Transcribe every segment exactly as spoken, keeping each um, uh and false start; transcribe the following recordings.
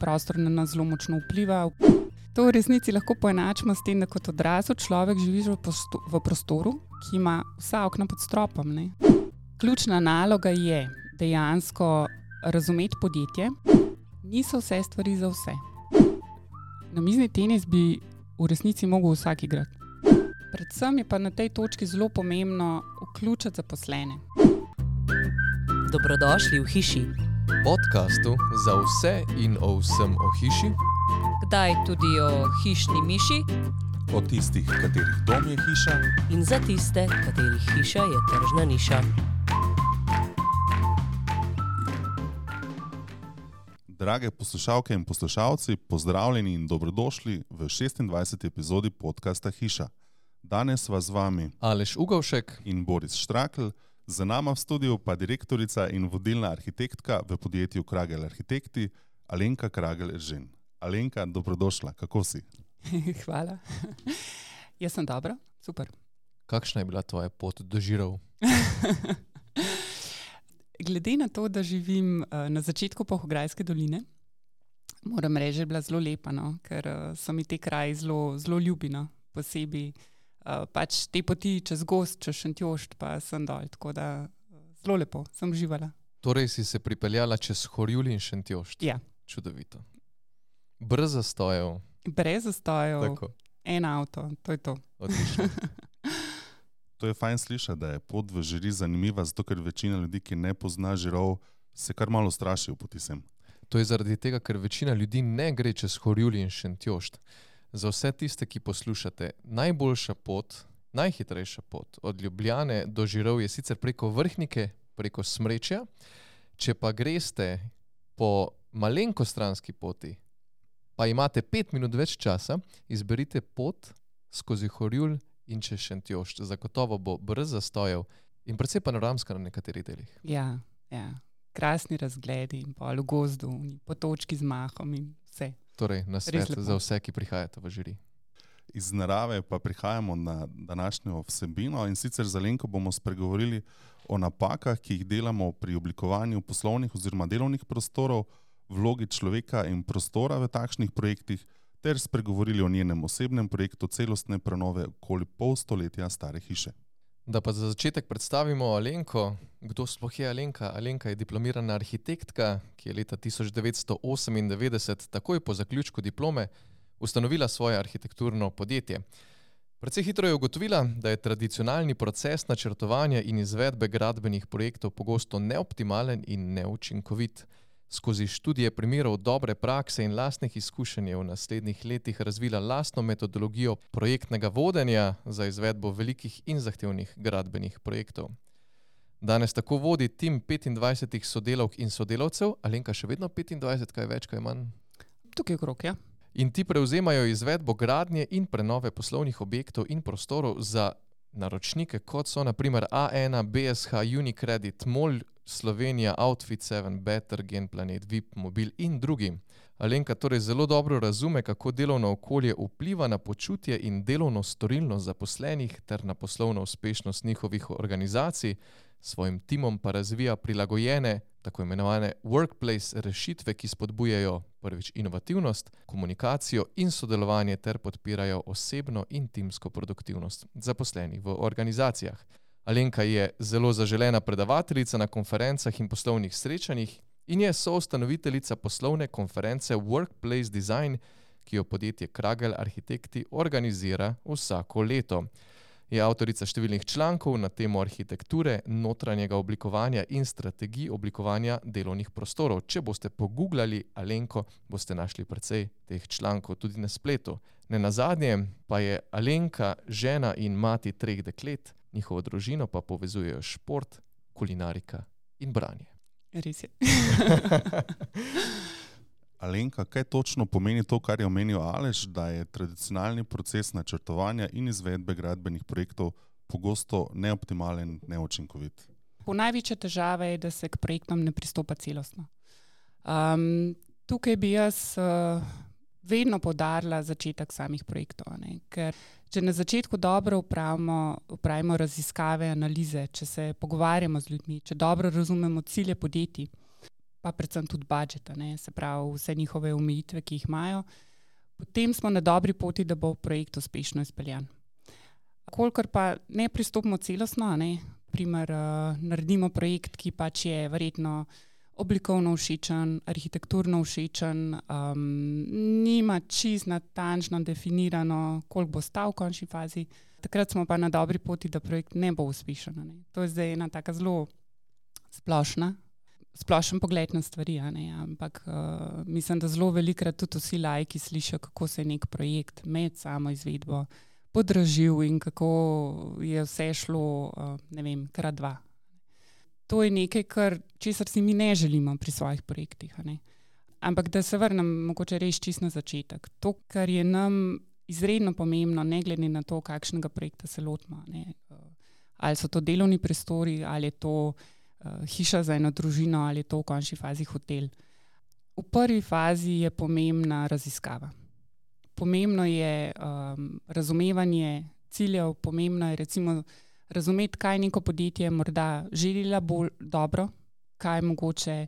prostor na nas zelo močno vpliva. To v resnici lahko poenačimo s tem, da kot odrasel človek živiš v, posto- v prostoru, ki ima vsa okna pod stropom. Ne? Ključna naloga je dejansko razumeti podjetje. Niso vse stvari za vse. Namizni tenis bi v resnici mogel vsak igrati. Predvsem je pa na tej točki zelo pomembno vključiti zaposlene. Dobrodošli v hiši. Podcastu za vse in o vsem o hiši. Kdaj tudi o hišni miši. O tistih, katerih dom je hiša. In za tiste, katerih hiša je tržna niša. Drage poslušalke in poslušalci, pozdravljeni in dobrodošli v šestindvajseti epizodi podcasta Hiša. Danes vas z vami Aleš Ugovšek in Boris Štrakl, za nama v studiu pa direktorica in vodilna arhitektka v podjetju Kragel Arhitekti, Alenka Kragel-Eržen. Alenka, dobrodošla, kako si? Hvala. Jaz sem dobra, super. Kakšna je bila tvoja pot do Žirov? Glede na to, da živim uh, na začetku Polhograjske doline, moram reči, da je bila zelo lepa, no? Ker uh, so mi te kraji zelo, zelo ljubi, no? Posebej uh, pač te poti čez gozd, čez Šentjošt, pa sem dol, tako da uh, zelo lepo, sem uživala. Torej si se pripeljala čez Horjul in Šentjošt? Ja. Čudovito. Brez zastojev? Brez zastojev, Tako. En avto, to je to. Odlično. To je fajn slišati, da je pot v Žiri zanimiva, zato ker večina ljudi, ki ne pozna Žirov, se kar malo straši v poti sem. To je zaradi tega, ker večina ljudi ne gre čez Horjul in Šentjošt. Za vse tiste, ki poslušate, najboljša pot, najhitrejša pot od Ljubljane do Žirov je sicer preko Vrhnike, preko Smrečja. Če pa greste po malenkostranski poti, pa imate pet minut več časa, izberite pot skozi Horjul in čez Šentjošt. Zagotovo bo brez zastojev in predvsej panoramska na nekaterih delih. Ja, ja. Krasni razgledi in pol v gozdu, in potočki z mahom in vse. Torej, na svet za vse, ki prihajate v Žiri. Iz narave pa prihajamo na današnjo vsebino in sicer z Alenko bomo spregovorili o napakah, ki jih delamo pri oblikovanju poslovnih oziroma delovnih prostorov, vlogi človeka in prostora v takšnih projektih, ter spregovorili o njenem osebnem projektu celostne prenove okoli pol stoletja stare hiše. Da pa za začetek predstavimo Alenko. Kdo sploh je Alenka? Alenka je diplomirana arhitektka, ki je leta tisoč devetsto osemindevetdeset, takoj po zaključku diplome, ustanovila svoje arhitekturno podjetje. Precej hitro je ugotovila, da je tradicionalni proces načrtovanja in izvedbe gradbenih projektov pogosto neoptimalen in neučinkovit. Skozi študije primerov dobre prakse in lastnih izkušenj je v naslednjih letih razvila lastno metodologijo projektnega vodenja za izvedbo velikih in zahtevnih gradbenih projektov. Danes tako vodi tim petindvajsetih sodelavk in sodelavcev. Alenka, še vedno petindvajset, kaj več, kaj manj? Tukaj okrog, ja. In ti prevzemajo izvedbo gradnje in prenove poslovnih objektov in prostorov za naročnike, kot so na primer A ena, B S H, Unicredit, MOL, Slovenija, Outfit sedem, Better, Genplanet, V I P, Mobil in drugi. Alenka torej zelo dobro razume, kako delovno okolje vpliva na počutje in delovno storilnost zaposlenih ter na poslovno uspešnost njihovih organizacij, svojim timom pa razvija prilagojene, tako imenovane workplace rešitve, ki spodbujajo prvič inovativnost, komunikacijo in sodelovanje ter podpirajo osebno in timsko produktivnost zaposlenih v organizacijah. Alenka je zelo zaželena predavateljica na konferencah in poslovnih srečanjih in je soustanoviteljica poslovne konference Workplace Design, ki jo podjetje Kragel Arhitekti organizira vsako leto. Je avtorica številnih člankov na temo arhitekture, notranjega oblikovanja in strategij oblikovanja delovnih prostorov. Če boste pogooglali Alenko, boste našli precej teh člankov tudi na spletu. Nenazadnje pa je Alenka žena in mati treh deklet, njihovo družino pa povezujejo šport, kulinarika in branje. Res je. Alenka, kaj točno pomeni to, kar je omenil Aleš, da je tradicionalni proces načrtovanja in izvedbe gradbenih projektov pogosto neoptimalen, neučinkovit? Po največja težava je, da se k projektom ne pristopa celostno. Um, tukaj bi jaz uh, vedno poudarila začetek samih projektov, ne? Ker če na začetku dobro upravimo, upravimo raziskave, analize, če se pogovarjamo z ljudmi, če dobro razumemo cilje podjetij, pa predvsem tudi budžeta, ne, se pravi vse njihove omejitve, ki jih imajo, potem smo na dobri poti, da bo projekt uspešno izpeljan. Kolikor pa ne pristopimo celostno, ne, primer, uh, naredimo projekt, ki pač je verjetno oblikovno všečen, arhitekturno všečen, um, nima čisto natančno definirano, koliko bo stal v končni fazi, takrat smo pa na dobri poti, da projekt ne bo uspešen. Ne. To je zdaj ena taka zelo splošna, splošen pogled na stvari, a ne, ampak uh, mislim, da zelo velikrat tudi vsi laiki slišijo, kako se je nek projekt med samo izvedbo podražil in kako je vse šlo, uh, ne vem, krat dva. To je nekaj, kar, česar si mi ne želimo pri svojih projektih. A ne. Ampak da se vrnem mogoče res čisto na začetek. To, kar je nam izredno pomembno, ne glede na to, kakšnega projekta se lotimo. Ne. Ali so to delovni prostori, ali je to uh, hiša za eno družino, ali je to v končni fazi hotel. V prvi fazi je pomembna raziskava. Pomembno je um, razumevanje ciljev, pomembno je recimo razumeti, kaj neko podjetje morda želila bolj dobro, kaj mogoče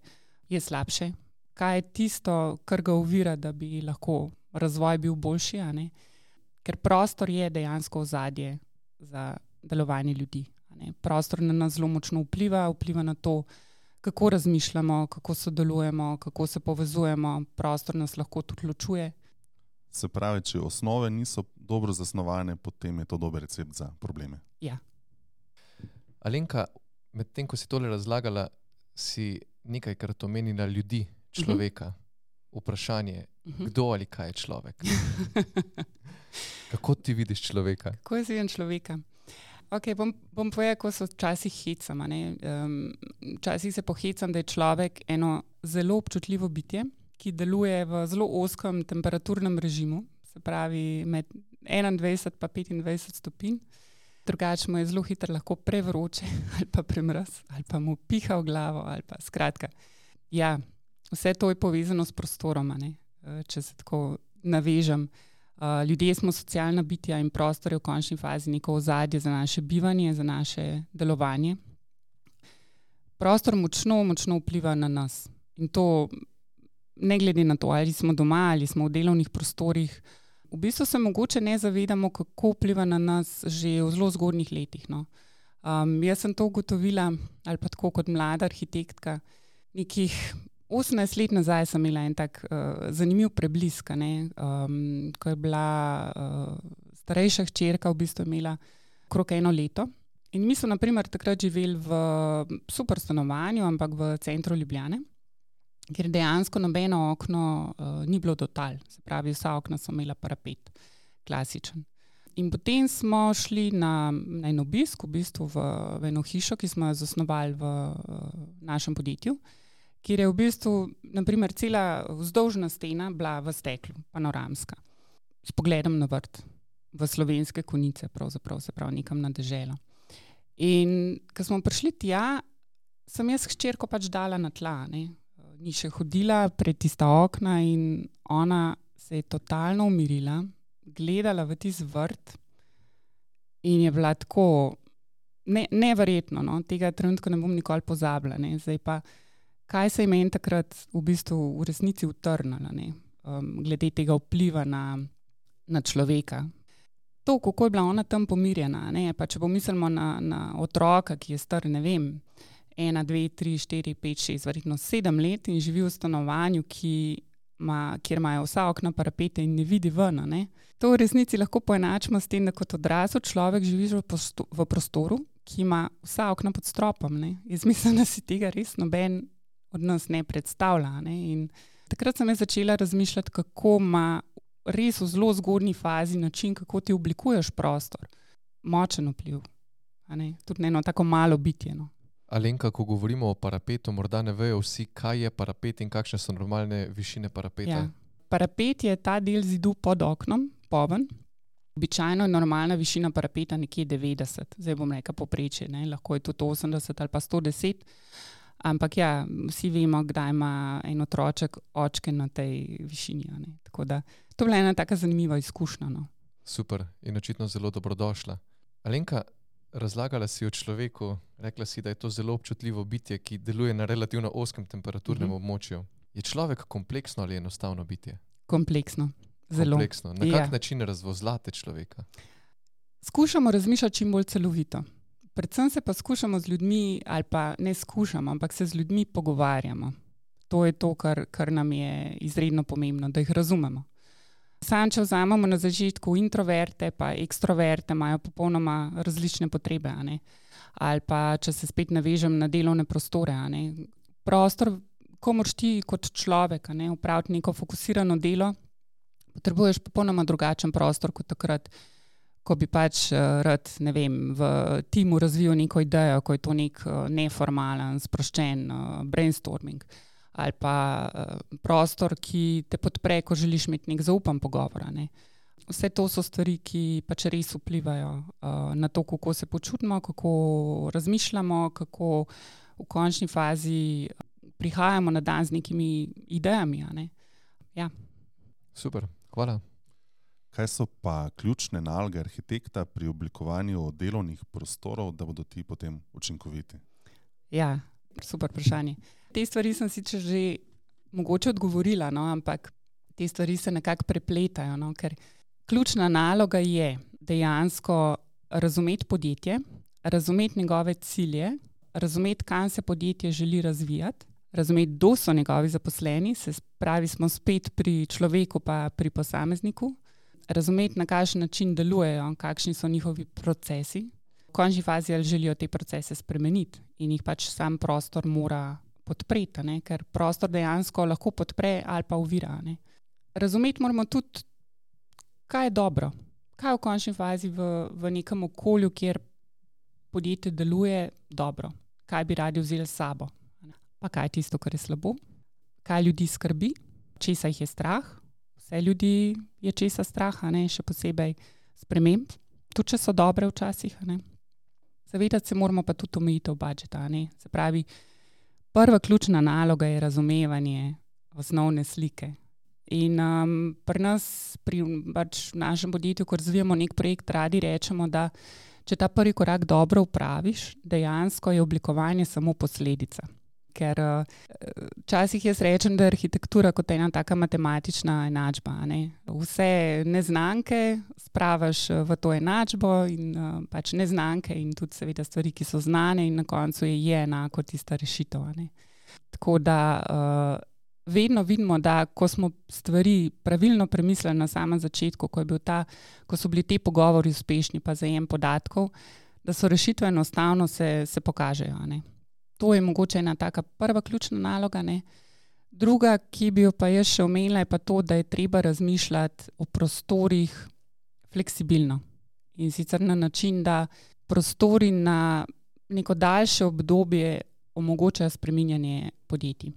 je slabše, kaj je tisto, kar ga ovira, da bi lahko razvoj bil boljši, a ne? Ker prostor je dejansko ozadje za delovanje ljudi. A ne? Prostor na nas zelo močno vpliva, vpliva na to, kako razmišljamo, kako sodelujemo, kako se povezujemo, prostor nas lahko tudi ločuje. Se pravi, če osnove niso dobro zasnovane, potem je to dober recept za probleme. Ja. Alenka, medtem ko si tole razlagala, si nekajkrat omenila ljudi, človeka. Uh-huh. Vprašanje, uh-huh. kdo ali kaj je človek? Kako ti vidiš človeka? Kako jaz vidim človeka? Okay, bom, bom povedala, ko se včasih hecam. Um, včasih se pohecam, da je človek eno zelo občutljivo bitje, ki deluje v zelo ozkem temperaturnem režimu, se pravi med enaindvajset pa petindvajset stopinj. Drugače mu je zelo hitro lahko prevroče ali pa premraz, ali pa mu piha v glavo, ali pa skratka. Ja, vse to je povezano s prostorom, ne? Če se tako navežem. Ljudje smo socialna bitja in prostor je v končni fazi neko ozadje za naše bivanje, za naše delovanje. Prostor močno, močno vpliva na nas. In to ne glede na to, ali smo doma, ali smo v delovnih prostorih. V bistvu se mogoče ne zavedamo, kako vpliva na nas že v zelo zgodnjih letih. No. Um, jaz sem to ugotovila, ali pa tako kot mlada arhitektka, nekih osemnajst let nazaj sem imela en tak uh, zanimiv preblisk, ne, um, ko je bila uh, starejša hčerka v bistvu imela okrog eno leto. In mi smo na primer takrat živeli v super stanovanju, ampak v centru Ljubljane, kjer dejansko nobeno okno uh, ni bilo do tal. Se pravi, vsa okna so imela parapet, klasičen. In potem smo šli na, na en obisk, v bistvu v, v eno hišo, ki smo jo zasnovali v uh, našem podjetju, kjer je v bistvu, naprimer, cela vzdolžna stena bila v steklu, panoramska, s pogledom na vrt, v Slovenske Konjice, pravzaprav, se pravi, nekam na deželo. In ko smo prišli tja, sem jaz hčerko pač dala na tla, ne. Ni še hodila pred tista okna in ona se je totalno umirila, gledala v tisti vrt in je bila tako ne, neverjetno, no? Tega trenutka ne bom nikoli pozabila. Ne? Zdaj pa, kaj se je meni takrat v bistvu v resnici utrnilo, ne? Um, glede tega vpliva na, na človeka. To, kako je bila ona tam pomirjena, ne? Pa če pomislimo na, na otroka, ki je star, ne vem, ena, dve, tri, štiri, pet, šest, verjetno sedem let in živi v stanovanju, ki ma, kjer imajo vsa okna parapete in ne vidi ven. Ne? To v resnici lahko poenačimo s tem, da kot odrasel človek živiš v, posto, v prostoru, ki ima vsa okna pod stropom. Ne? Jaz mislim, da si tega res noben od nas ne predstavlja. Ne? In takrat sem začela razmišljati, kako ima res v zelo zgodnji fazi način, kako ti oblikuješ prostor. Močen vpliv. A ne? Tudi eno tako malo bitje. No? Alenka, ko govorimo o parapetu, morda ne vejo vsi, kaj je parapet in kakšne so normalne višine parapeta. Ja. Parapet je ta del zidu pod oknom, poven. Običajno je normalna višina parapeta nekje devetdeset. Zdaj bom rekla povprečje, ne? Lahko je tudi osemdeset ali pa sto deset. Ampak ja, vsi vemo, kdaj ima en otroček očke na tej višini. Ne? Tako da, to je bila ena taka zanimiva izkušnja. No? Super in očitno zelo dobrodošla. Alenka, razlagala si o človeku, rekla si, da je to zelo občutljivo bitje, ki deluje na relativno ozkem temperaturnem mm-hmm. območju. Je človek kompleksno ali enostavno bitje? Kompleksno. Zelo. Kompleksno. Na kak Ja. način razvozlate človeka? Skušamo razmišljati čim bolj celovito. Predvsem se pa skušamo z ljudmi, ali pa ne skušamo, ampak se z ljudmi pogovarjamo. To je to, kar, kar nam je izredno pomembno, da jih razumemo. Sam, če vzamemo na začetku introverte pa ekstroverte, imajo popolnoma različne potrebe, a ne? Ali pa, če se spet navežem na delovne prostore, a ne? Prostor, ko moraš ti kot človek, a ne, opraviti neko fokusirano delo, potrebuješ popolnoma drugačen prostor kot takrat, ko bi pač uh, rad, ne vem, v timu razvijal neko idejo, ko je to nek uh, neformalen, sproščen uh, brainstorming. Ali pa uh, prostor, ki te podpre, ko želiš imeti nek zaupan pogovor. Ne? Vse to so stvari, ki pač res vplivajo uh, na to, kako se počutimo, kako razmišljamo, kako v končni fazi prihajamo na dan z nekimi idejami. A ne? Ja. Super, hvala. Kaj so pa ključne naloge arhitekta pri oblikovanju delovnih prostorov, da bodo ti potem učinkoviti? Ja, super vprašanje. Te stvari sem sicer že mogoče odgovorila, no, ampak te stvari se nekako prepletajo, no, ker ključna naloga je dejansko razumeti podjetje, razumeti njegove cilje, razumeti, kam se podjetje želi razvijati, razumeti, kdo so njegovi zaposleni, se pravi, smo spet pri človeku pa pri posamezniku, razumeti, na kakšen način delujejo, kakšni so njihovi procesi, v končni fazi ali želijo te procese spremeniti in jih pač sam prostor mora podpreti, ne? Ker prostor dejansko lahko podpre ali pa ovira. Ne? Razumeti moramo tudi, kaj je dobro, kaj je v končni fazi v, v nekem okolju, kjer podjetje deluje dobro, kaj bi radi vzeli s sabo, ne? Pa kaj je tisto, kar je slabo, kaj ljudi skrbi, česa jih je strah. Vse ljudi je česa strah, ne? Še posebej sprememb, tudi če so dobre včasih. Ne? Zavedati se moramo pa tudi omejitev budžeta. Ne? Se pravi, prva ključna naloga je razumevanje osnovne slike. In um, pri nas, pri pač našem podjetju, ko razvijamo nek projekt, radi rečemo, da če ta prvi korak dobro upraviš, dejansko je oblikovanje samo posledica. Ker včasih jaz rečem, da je arhitektura kot ena taka matematična enačba. Ne? Vse neznanke spravaš v to enačbo in uh, pač neznanke in tudi seveda stvari, ki so znane in na koncu je, je enako tista rešitev. Ne? Tako da uh, vedno vidimo, da ko smo stvari pravilno premislili na samem začetku, ko, je bil ta, ko so bili ti pogovori uspešni pa zajem podatkov, da so rešitve enostavno se, se pokažejo. Ne? To je mogoče ena taka prva ključna naloga. Ne? Druga, ki bi jo pa jaz še omenila, je pa to, da je treba razmišljati o prostorih fleksibilno. In sicer na način, da prostori na neko daljše obdobje omogočajo spreminjanje podjetij.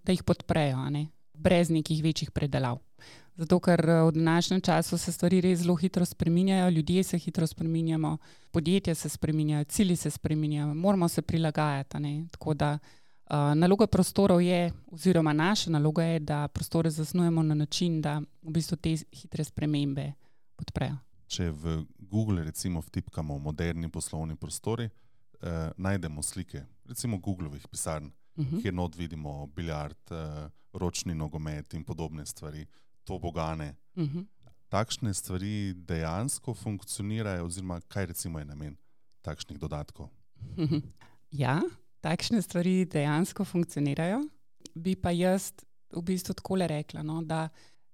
Da jih podprejo, a ne? Brez nekih večjih predelav. Zato, ker v današnjem času se stvari res zelo hitro spreminjajo, ljudje se hitro spreminjamo, podjetja se spreminjajo, cilji se spreminjajo, moramo se prilagajati. Ne? Tako da uh, naloga prostorov je, oziroma naša naloga je, da prostore zasnujemo na način, da v bistvu te hitre spremembe podprejo. Če v Google recimo vtipkamo moderni poslovni prostori, eh, najdemo slike, recimo Googlovih pisarn, uh-huh. kjer not vidimo biljard, eh, ročni nogomet in podobne stvari, tobogane. Uh-huh. Takšne stvari dejansko funkcionirajo, oziroma kaj recimo je namen takšnih dodatkov? Uh-huh. Ja, takšne stvari dejansko funkcionirajo. Bi pa jaz v bistvu takole rekla, no, da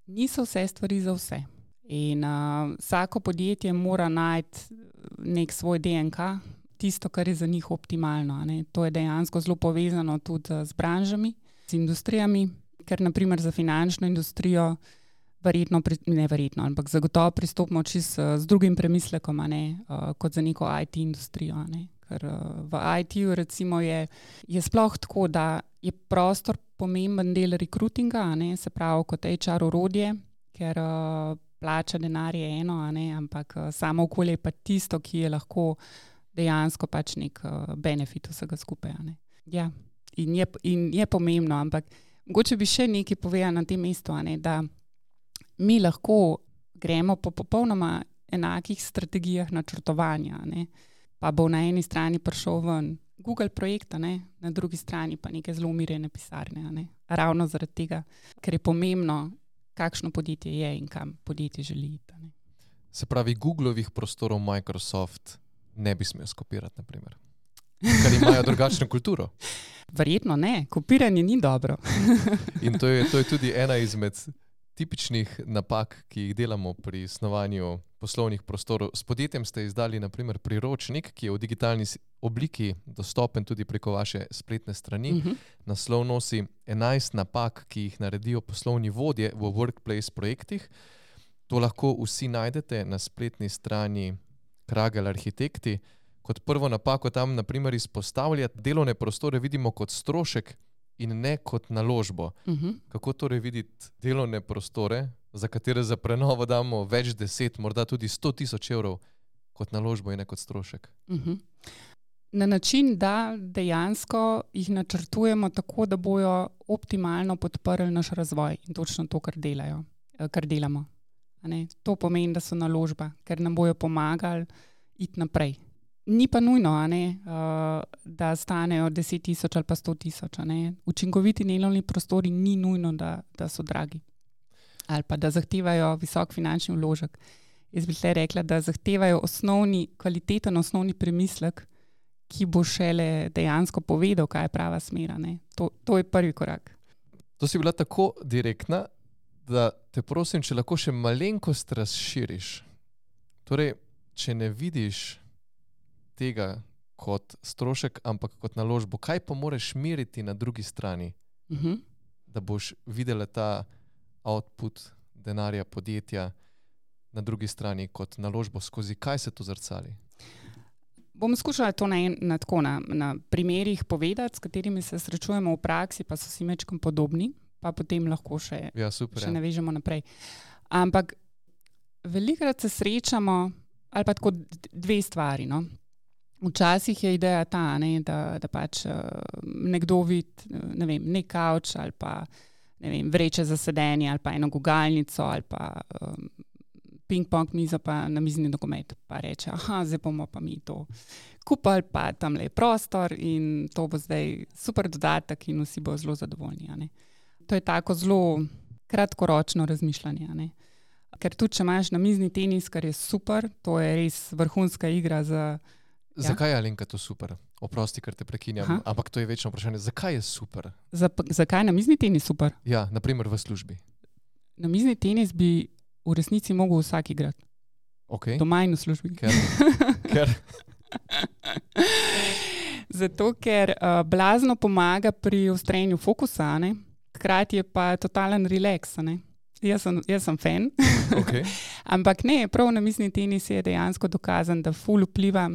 niso vse stvari za vse. In uh, vsako podjetje mora najti nek svoj D N K, tisto, kar je za njih optimalno. Ne? To je dejansko zelo povezano tudi z branžami, z industrijami, ker naprimer za finančno industrijo verjetno, ne verjetno, ampak zagotovo pristopimo čisto z drugim premislekom, a ne, uh, kot za neko I T industrijo. A ne? Ker uh, v I T-ju recimo je, je sploh tako, da je prostor pomemben del rekrutinga, a ne, se pravi kot H R orodje, ker uh, plača denar je eno, a ne, ampak uh, samo okolje je pa tisto, ki je lahko dejansko pač nek uh, benefit vsega skupaj. A ne. Ja, in je, in je pomembno, ampak mogoče bi še nekaj povedala na tem mestu, a ne, da mi lahko gremo po popolnoma enakih strategijah načrtovanja, ne, pa bo na eni strani prišel ven Google projekta, ne? Na drugi strani pa neke zelo umirjene pisarne. Ne? Ravno zaradi tega, ker je pomembno, kakšno podjetje je in kam podjetje želi iti. Ne? Se pravi, Googlovih prostorov Microsoft ne bi smel skopirati, naprimer. Ker imajo drugačno kulturo. Verjetno ne, kopiranje ni dobro. In to je, to je tudi ena izmed tipičnih napak, ki jih delamo pri snovanju poslovnih prostorov. S podjetjem ste izdali naprimer priročnik, ki je v digitalni obliki dostopen tudi preko vaše spletne strani. Uh-huh. Naslov nosi enajst napak, ki jih naredijo poslovni vodje v workplace projektih. To lahko vsi najdete na spletni strani Kragel Arhitekti. Kot prvo napako tam naprimer izpostavlja, delovne prostore vidimo kot strošek in ne kot naložbo. Uh-huh. Kako torej videti delovne prostore, za katere za prenovo damo več deset, morda tudi sto tisoč evrov, kot naložbo in ne kot strošek? Uh-huh. Na način, da dejansko jih načrtujemo tako, da bojo optimalno podprli naš razvoj in točno to, kar delajo, kar delamo. A ne? To pomeni, da so naložba, ker nam bojo pomagali iti naprej. Ni pa nujno, a ne, uh, da stanejo deset tisoč ali pa sto tisoč. Učinkoviti delovni prostori ni nujno, da, da so dragi ali pa da zahtevajo visok finančni vložek. Jaz bi tle rekla, da zahtevajo osnovni, kvaliteten osnovni premislek, ki bo šele dejansko povedal, kaj je prava smer. To, to je prvi korak. To si bila tako direktna, da te prosim, če lahko še malenkost razširiš. Torej, če ne vidiš tega kot strošek, ampak kot naložbo, kaj pa moraš meriti na drugi strani, uh-huh. da boš videla ta output denarja podjetja na drugi strani kot naložbo, skozi kaj se to zrcali? Bom skušala to na, na, tako, na, na primerih povedati, s katerimi se srečujemo v praksi, pa so si mečkom podobni, pa potem lahko še, ja, super, še ja. navežemo naprej. Ampak velikokrat se srečamo, ali pa tako dve stvari, no. Včasih je ideja ta, ne, da, da pač uh, nekdo vidi, ne vem, nek kavč ali pa ne vem, vreče za sedenje ali pa eno gugalnico ali pa um, ping-pong mizo pa na mizni nogomet. Pa reče, aha, zdaj bomo pa mi to kupili, pa tam je prostor in to bo zdaj super dodatek in vsi bo zelo zadovoljni. A ne. To je tako zelo kratkoročno razmišljanje. A ne. Ker tudi, če imaš na mizni tenis, kar je super, to je res vrhunska igra za... Ja. Zakaj je, Alenka, to super? Oprosti, ker te prekinjam, Aha. ampak to je večno vprašanje. Zakaj je super? Za, zakaj je na mizni tenis super? Ja, naprimer v službi. Na mizni tenis bi v resnici mogel vsak igrati. Okay. Doma in v službi. Ker? ker? Zato, ker uh, blazno pomaga pri ustvarjanju fokusa, ne? Hkrati je pa totalen relax. Ne? Jaz sem, jaz sem fan. Okay. Ampak ne, prav na mizni tenis je dejansko dokazan, da ful vpliva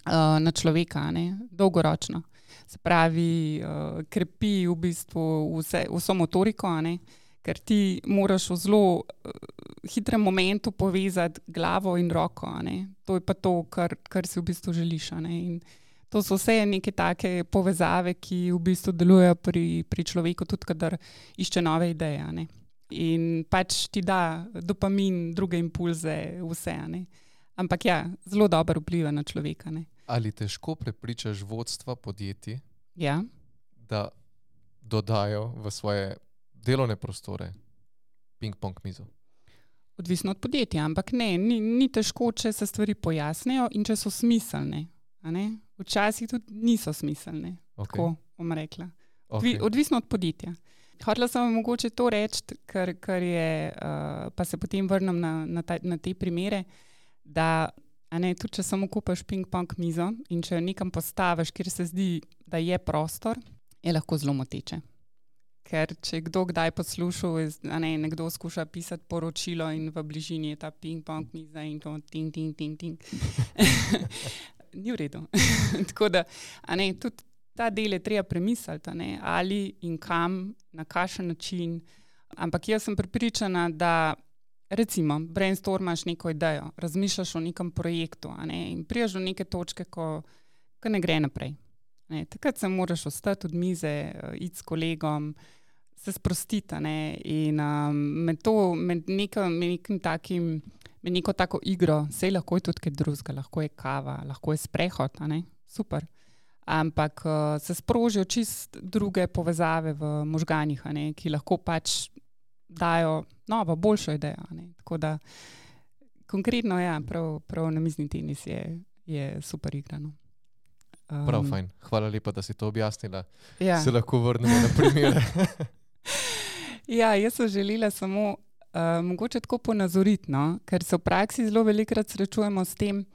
uh, na človeka, ne? Dolgoročno. Se pravi, uh, krepi v bistvu vse, vso motoriko, ne? Ker ti moraš v zelo uh, hitrem momentu povezati glavo in roko. Ne? To je pa to, kar, kar si v bistvu želiš. Ne? In to so vse neke take povezave, ki v bistvu delujejo pri, pri človeku, tudi kadar išče nove ideje. Ne? In pač ti da dopamin, druge impulze, vse. Ne? Ampak ja, zelo dobro vpliva na človeka. Ne? Ali težko prepričaš vodstva podjetij, ja? da dodajo v svoje delovne prostore ping-pong mizo? Odvisno od podjetja, ampak ne, ni, ni težko, če se stvari pojasnijo in če so smiselne. A ne? Včasih tudi niso smiselne, okay. tako bom rekla. Okay. Odvisno od podjetja. Hotela sem mogoče to reči, ker, ker je, uh, pa se potem vrnem na, na, ta, na te primere, da a ne, tudi če samo kupaš ping-pong mizo in če jo nekam postaviš, kjer se zdi, da je prostor, je lahko zelo moteče. Ker če kdo kdaj poslušal, a ne, nekdo skuša pisati poročilo in v bližini je ta ping-pong miza in to ting, ting, ting, ting. Ni v redu. Tako da, a ne, tudi ta del je treba premisliti, ne, ali in kam, na kakšen način. Ampak jaz sem prepričana, da recimo brainstormaš neko idejo, razmišljaš o nekem projektu, a ne, in priješ do neke točke, ko, ko ne gre naprej. Ne, takrat se moraš ostati od mize, iti s kolegom, se sprostiti. Ne, in um, med, to, med nekim, nekim takim neko tako igro, sej lahko je tudi kaj drugega, lahko je kava, lahko je sprehod, a ne, super. Ampak uh, se sprožijo čist druge povezave v možganjih, a ne, ki lahko pač dajo novo, boljšo idejo. A ne. Tako da konkretno, ja, prav, prav namizni tenis je, je super igrano. Um, Prav fajn. Hvala lepa, da si to objasnila. Ja. Se lahko vrnemo na primere. Ja, jaz sem želela samo uh, mogoče tako ponazoriti, no? Ker se v praksi zelo velikokrat srečujemo s tem,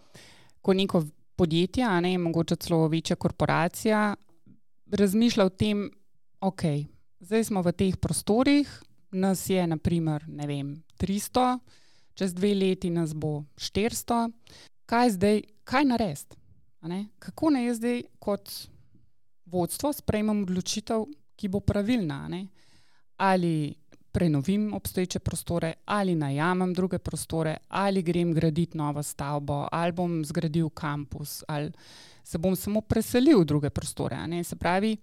ko neko podjetje, a ne, mogoče celo večja korporacija, razmišlja o tem, ok, zdaj smo v teh prostorih, nas je na primer, ne vem, tristo, čez dve leti nas bo štiristo, kaj zdaj, kaj narediti? A ne? Kako naj jaz zdaj kot vodstvo sprejmem odločitev, ki bo pravilna, a ne? Ali prenovim obstoječe prostore, ali najamem druge prostore, ali grem graditi novo stavbo, ali bom zgradil kampus, ali se bom samo preselil v druge prostore. A ne? Se pravi,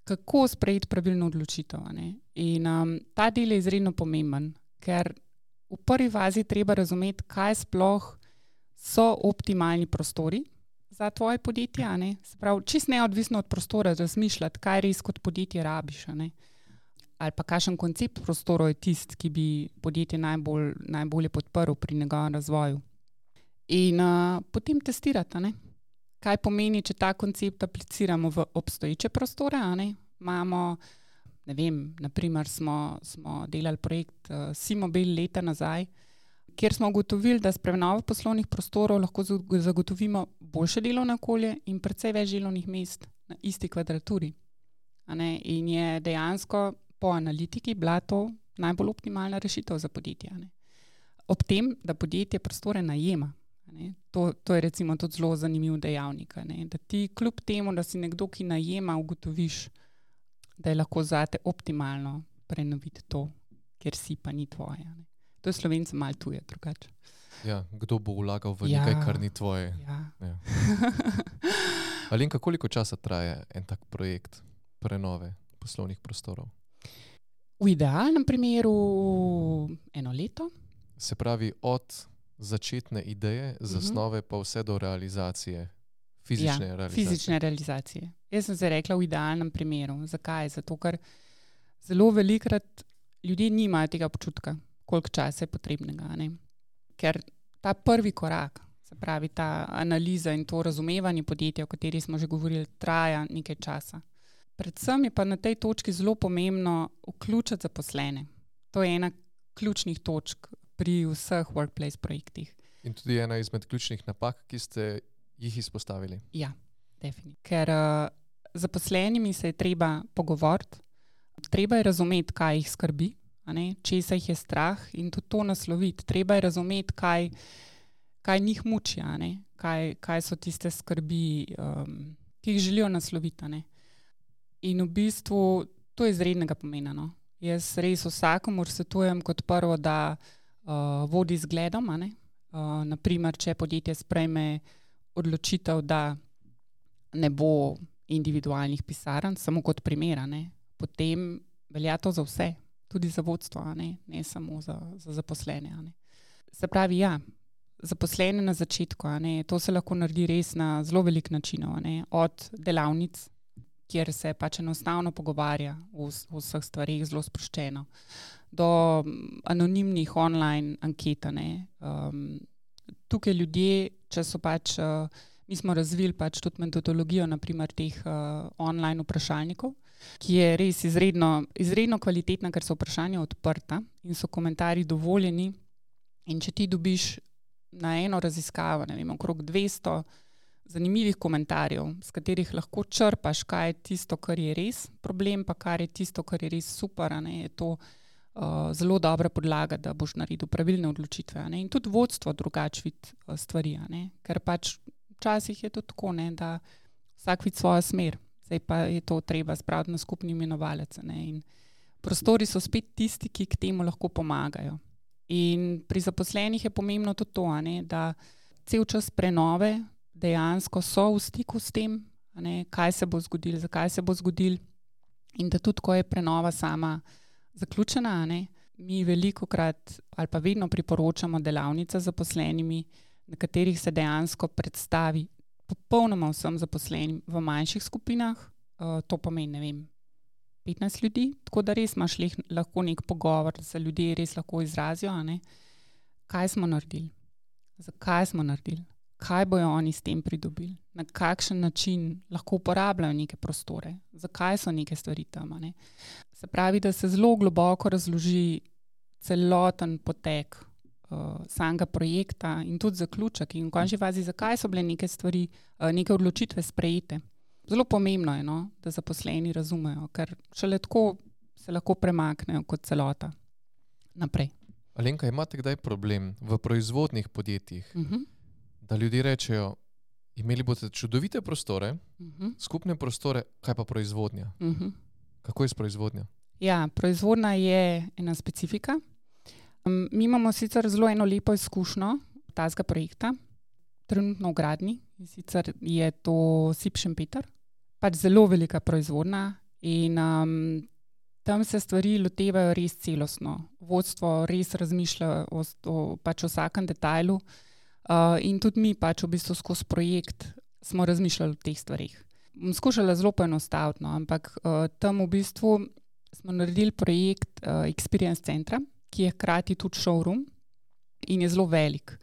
kako sprejeti pravilno odločitev. A ne? In um, ta del je izredno pomemben, ker v prvi fazi treba razumeti, kaj sploh so optimalni prostori za tvoje podjetje. A ne? Se pravi, čisto neodvisno od prostora razmišljati, kaj res kot podjetje rabiš. A ne? Ali pa kakšen koncept prostorov je tisti, ki bi podjetje najbolj, najbolje podprl pri njegovem razvoju. In uh, potem testirati, a ne? Kaj pomeni, če ta koncept apliciramo v obstoječe prostore. A ne? Imamo, ne vem, naprimer smo, smo delali projekt uh, Simobil leta nazaj, kjer smo ugotovili, da s prenovo poslovnih prostorov lahko zagotovimo boljše delovno okolje in precej več delovnih mest na isti kvadraturi. A ne? In je dejansko po analitiki bila to najbolj optimalna rešitev za podjetje. Ne? Ob tem, da podjetje prostore najema. Ne? To, to je recimo tudi zelo zanimiv dejavnik. Ne? Da ti kljub temu, da si nekdo, ki najema, ugotoviš, da je lahko zate optimalno prenoviti to, ker si pa ni tvoje. Ne? To je Slovencem malo tuje, drugače. Ja, kdo bo vlagal v Ja. nekaj, kar ni tvoje? Ja. Ja. Alenka, koliko časa traja en tak projekt prenove poslovnih prostorov? V idealnem primeru eno leto. Se pravi, od začetne ideje, zasnove pa vse do realizacije, fizične ja, realizacije. Fizične realizacije. Jaz sem se rekla v idealnem primeru. Zakaj? Zato, ker zelo velikrat ljudje nimajo tega občutka, koliko časa je potrebnega. Ne? Ker ta prvi korak, se pravi ta analiza in to razumevanje podjetja, o kateri smo že govorili, traja nekaj časa. Predvsem je pa na tej točki zelo pomembno vključiti zaposlene. To je ena ključnih točk pri vseh workplace projektih. In tudi ena izmed ključnih napak, ki ste jih izpostavili. Ja, definitivno. Ker uh, zaposlenimi se je treba pogovoriti, treba je razumeti, kaj jih skrbi, a ne, česa jih je strah in tudi to nasloviti. Treba je razumeti, kaj, kaj njih muči, a ne, kaj, kaj so tiste skrbi, um, ki jih želijo nasloviti. A ne. In v bistvu to je izrednega pomena. No. Jaz res vsakomur svetujem kot prvo, da uh, vodi z zgledom. A ne. Uh, naprimer, če podjetje sprejme odločitev, da ne bo individualnih pisarn, samo kot primer, a ne, potem velja to za vse, tudi za vodstvo, a ne, ne samo za, za zaposlene. A ne. Se pravi, ja, zaposlene na začetku, a ne, to se lahko naredi res na zelo velik načinov, a ne, od delavnic, kjer se pač enostavno pogovarja o, o vseh stvarih zelo sproščeno, do anonimnih online anket. Um, tukaj ljudje, če so pač, uh, mi smo razvili pač tudi metodologijo naprimer teh uh, online vprašalnikov, ki je res izredno, izredno kvalitetna, ker so vprašanja odprta in so komentarji dovoljeni. In če ti dobiš na eno raziskavo, ne vem, okrog dvesto zanimivih komentarjev, s katerih lahko črpaš, kaj je tisto, kar je res problem, pa kar je tisto, kar je res super, a ne, je to uh, zelo dobra podlaga, da boš naredil pravilne odločitve. A ne. In tudi vodstvo drugače vidi uh, stvari, a ne. Ker pač včasih je to tako, ne, da vsak vidi svojo smer, zdaj pa je to treba spraviti na skupni imenovalec. A ne. In prostori so spet tisti, ki k temu lahko pomagajo. In pri zaposlenih je pomembno tudi to, a ne, da cel čas prenove dejansko so v stiku s tem, a ne, kaj se bo zgodilo, zakaj se bo zgodilo in da tudi, ko je prenova sama zaključena, a ne, mi velikokrat ali pa vedno priporočamo delavnice zaposlenimi, na katerih se dejansko predstavi popolnoma vsem zaposlenim v manjših skupinah, uh, to pomeni, ne vem, petnajst ljudi, tako da res imaš leh, lahko nek pogovor, da se ljudje res lahko izrazijo, a ne? Kaj smo naredili, zakaj smo naredili, kaj bojo oni s tem pridobili, na kakšen način lahko uporabljajo neke prostore, zakaj so neke stvari tam. Ne? Se pravi, da se zelo globoko razloži celoten potek uh, samega projekta in tudi zaključek in v končni fazi, zakaj so bile neke stvari, uh, neke odločitve sprejete. Zelo pomembno je, no, da zaposleni razumejo, ker šele tako se lahko premaknejo kot celota naprej. Alenka, imate kdaj problem v proizvodnih podjetjih, Uh-huh. da ljudje rečejo, imeli boste čudovite prostore, Uh-huh. skupne prostore, kaj pa proizvodnja? Uh-huh. Kako je s proizvodnjo? Ja, proizvodnja je ena specifika. Um, mi imamo sicer zelo eno lepo izkušnjo tazga projekta, trenutno v gradnji, in sicer je to S I P Šempeter, pač zelo velika proizvodnja in um, tam se stvari lotevajo res celostno. Vodstvo res razmišlja o, o pač vsakem detajlu uh, in tudi mi pač v bistvu skozi projekt smo razmišljali o teh stvarih. Bom skušala zelo poenostaviti, no, ampak uh, tam v bistvu smo naredili projekt uh, Experience centra, ki je hkrati tudi showroom in je zelo velik.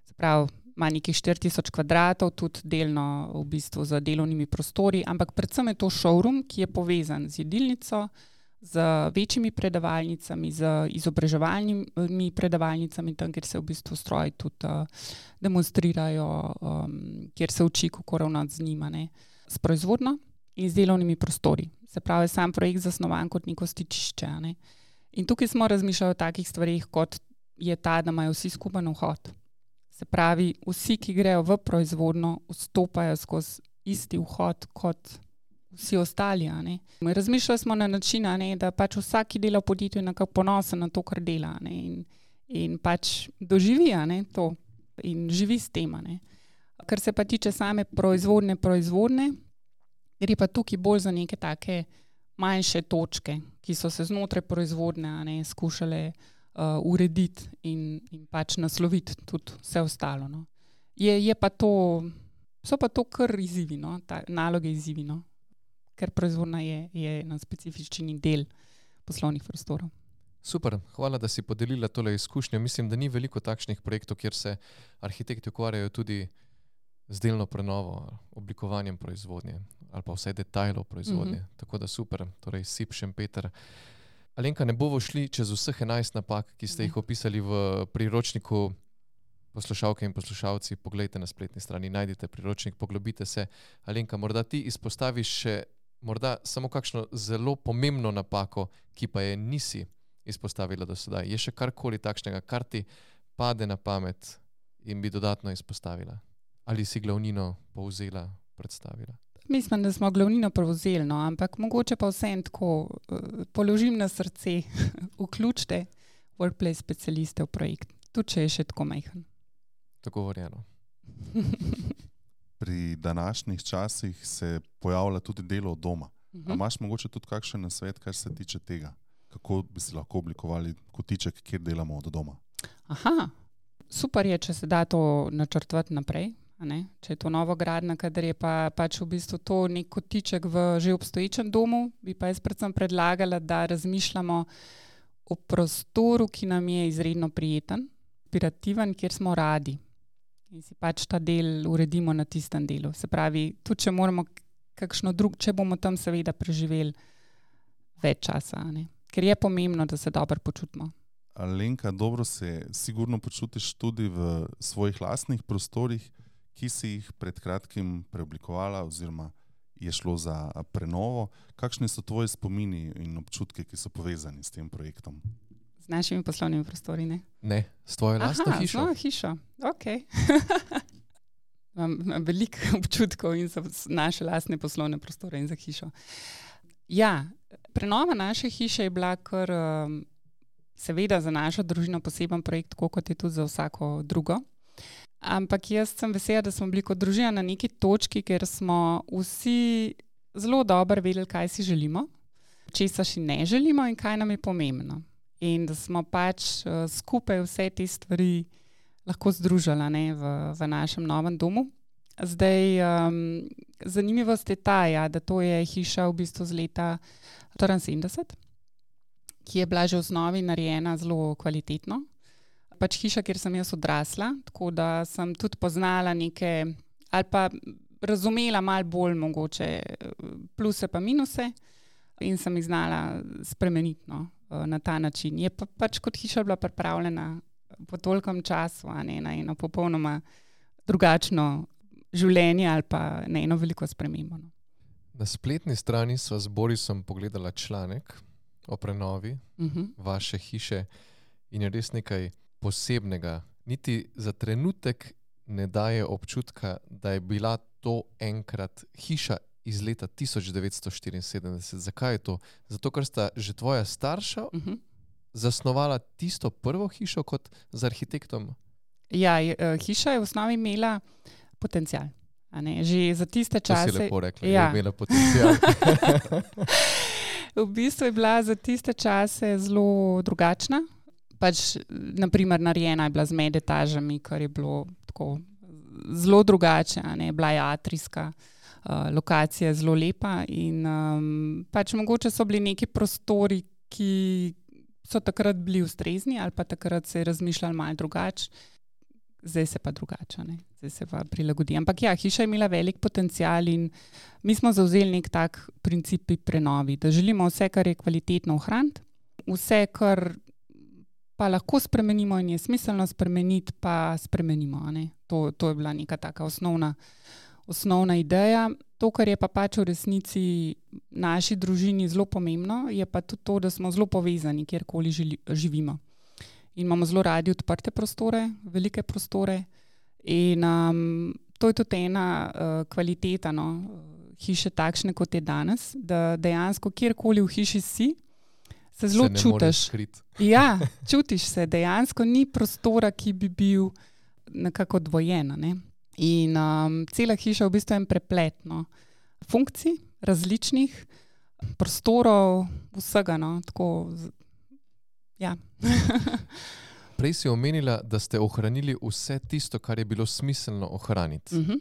Se pravi, ima nekih štiri tisoč kvadratov, tudi delno v bistvu z delovnimi prostori, ampak predvsem je to showroom, ki je povezan z jedilnico, z večjimi predavalnicami, z izobraževalnimi predavalnicami, tam, kjer se v bistvu stroji tudi uh, demonstrirajo, um, kjer se uči, kako ravnati z njima, ne, s proizvodno in z delovnimi prostori. Se pravi, sam projekt zasnovan kot neko stičišče. Ne. In tukaj smo razmišljali o takih stvarih, kot je ta, da imajo vsi skupen vhod. Se pravi, vsi, ki grejo v proizvodno, vstopajo skozi isti vhod kot vsi ostali. A ne. Razmišljali smo na način, a ne, da pač vsak, ki dela v podjetju, je nekako ponosen na to, kar dela, a ne, in, in pač doživi, a ne, to in živi s tem. A ne. Kar se pa tiče same proizvodne proizvodne, gre pa tukaj bolj za neke take manjše točke, ki so se znotraj proizvodne, a ne, skušale uh, urediti in, in pač nasloviti tudi vse ostalo. No. Je, je pa to, so pa to kar izzivi, no, ta, naloge izzivi, no, ker proizvodna je, je na specifični del poslovnih prostorov. Super, hvala, da si podelila tole izkušnjo. Mislim, da ni veliko takšnih projektov, kjer se arhitekti ukvarjajo tudi z delno prenovo, oblikovanjem proizvodnje ali pa vsaj detajlov proizvodnje. Mm-hmm. Tako da super, torej S I P Šempeter. Alenka, ne bomo šli čez vseh enajst napak, ki ste jih opisali v priročniku. Poslušalke in poslušalci, poglejte na spletni strani, najdite priročnik, poglobite se. Alenka, morda ti izpostaviš še morda samo kakšno zelo pomembno napako, ki pa je nisi izpostavila do sedaj. Je še karkoli takšnega, kar ti pade na pamet in bi dodatno izpostavila? Ali si glavnino povzela, predstavila? Mislim, da smo glavnino povzeli, no, ampak mogoče pa vsem tako uh, položim na srce, vključite workplace specialiste v projekt, tudi če je še tako majhen. Tako verjeno. Pri današnjih časih se pojavlja tudi delo od doma. Uh-huh. A imaš mogoče tudi kakšen nasvet, kar se tiče tega? Kako bi si lahko oblikovali kotiček, kjer delamo od doma? Aha, super je, če se da to načrtovati naprej. A ne? Če je to novogradnja, kadar je pa pač v bistvu to nek kotiček v že obstoječem domu, bi pa jaz predvsem predlagala, da razmišljamo o prostoru, ki nam je izredno prijeten, inspirativen, kjer smo radi. In si pač ta del uredimo na tistem delu. Se pravi, tudi če moramo kakšno drug, če bomo tam seveda preživeli več časa. A ne? Ker je pomembno, da se dobro počutimo. Alenka, dobro se sigurno počutiš tudi v svojih lastnih prostorih, ki si jih pred kratkim preoblikovala oziroma je šlo za prenovo. Kakšni so tvoji spomini in občutki, ki so povezani s tem projektom? Z našimi poslovnimi prostori, ne? Ne, s tvojo lastno Aha, hišo. Aha, hišo, ok. Imam, imam veliko občutkov in za naše lastne poslovne prostore in za hišo. Ja, prenova naše hiše je bila kar um, seveda za našo družino poseben projekt, tako kot je tudi za vsako drugo. Ampak jaz sem vesela, da smo bili kot družina na neki točki, ker smo vsi zelo dobro vedeli, kaj si želimo, česa si ne želimo in kaj nam je pomembno. in da smo pač uh, skupaj vse te stvari lahko združili, ne, v, v našem novem domu. Zdaj, um, zanimivost je ta, ja, da to je hiša v bistvu z leta štiriinsedemdeset, ki je bila že v osnovi narejena zelo kvalitetno. Pač hiša, kjer sem jaz odrasla, tako da sem tudi poznala neke, ali pa razumela malo bolj mogoče pluse pa minuse in sem jih znala spremeniti, no, na ta način. Je pa pač kot hiša bila pripravljena po tolikem času, a ne, na eno popolnoma drugačno življenje ali pa na eno veliko spremembo. No. Na spletni strani sva z Borisom pogledala članek o prenovi uh-huh. vaše hiše in je res nekaj posebnega. Niti za trenutek ne daje občutka, da je bila to enkrat hiša iz leta tisoč devetsto štiriinsedemdeset. Zakaj je to? Zato, ker sta že tvoja starša uh-huh. zasnovala tisto prvo hišo kot z arhitektom? Ja, je, hiša je v osnovi imela potencial. A ne? Že za tiste čase... To si lepo rekla, ja. Je imela potencial. V bistvu je bila za tiste čase zelo drugačna. Pač, naprimer, narejena je bila z med etažami, kar je bilo tako zelo drugače. A ne? Bila je atrijska, uh, lokacija je zelo lepa in um, pač mogoče so bili neki prostori, ki so takrat bili ustrezni ali pa takrat se je razmišljali malo drugače. Zdaj se pa drugače, ne? Zdaj se pa prilagodi. Ampak ja, hiša je imela velik potencial in mi smo zavzeli nek tak princip pri prenovi, da želimo vse, kar je kvalitetno ohraniti, vse, kar pa lahko spremenimo in je smiselno spremeniti, pa spremenimo. Ne? To, to je bila neka taka osnovna, osnovna ideja. To, kar je pa pač v resnici naši družini zelo pomembno, je pa tudi to, da smo zelo povezani, kjerkoli žili, živimo. In imamo zelo radi odprte prostore, velike prostore in um, to je tudi ena uh, kvaliteta, no, hiše takšne, kot je danes, da dejansko kjerkoli v hiši si, se zelo se čutiš. Ja, čutiš se, dejansko ni prostora, ki bi bil nekako dvojen. Ne? In um, cela hiša v bistvu je en preplet, no, funkcij, različnih prostorov, vsega, no, tako. Ja. Prej si omenila, da ste ohranili vse tisto, kar je bilo smiselno ohraniti. Uh-huh.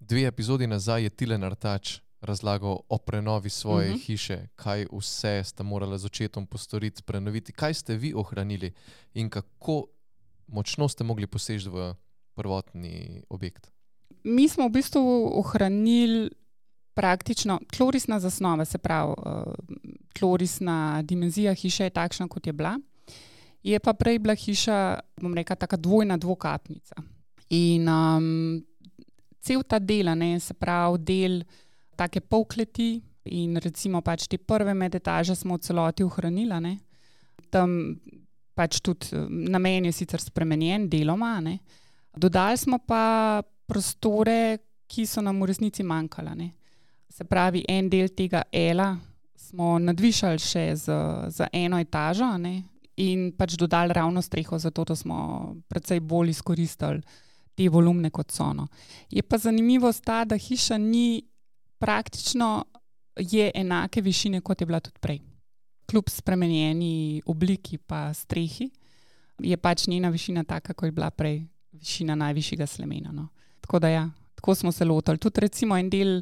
Dve epizodi nazaj je Tilen Artač razlagal o prenovi svoje uh-huh. hiše, kaj vse ste morali z očetom postoriti, prenoviti. Kaj ste vi ohranili in kako močno ste mogli poseči v prvotni objekt? Mi smo v bistvu ohranili praktično tlorisna zasnova, se pravi, tlorisna dimenzija hiše je takšna, kot je bila. Je pa prej bila hiša, bom rekla, taka dvojna dvokapnica. In um, cel ta del, ne, se pravi, del take polkleti in recimo pač te prve medetaže smo v celoti ohranila. Ne. Tam pač tudi namen je sicer spremenjen deloma. Ne. Dodali smo pa prostore, ki so nam v resnici manjkala. Ne. Se pravi, en del tega L-a smo nadvišali še z, z eno etažo, ne, in pač dodali ravno streho, zato da smo precej bolj izkoristili te volumne kot so. No. Je pa zanimivost ta, da hiša ni praktično je enake višine, kot je bila tudi prej. Kljub spremenjeni obliki pa strehi je pač njena višina taka, kot je bila prej višina najvišjega slemena. No. Tako da ja, tako smo se lotili. Tudi recimo en del.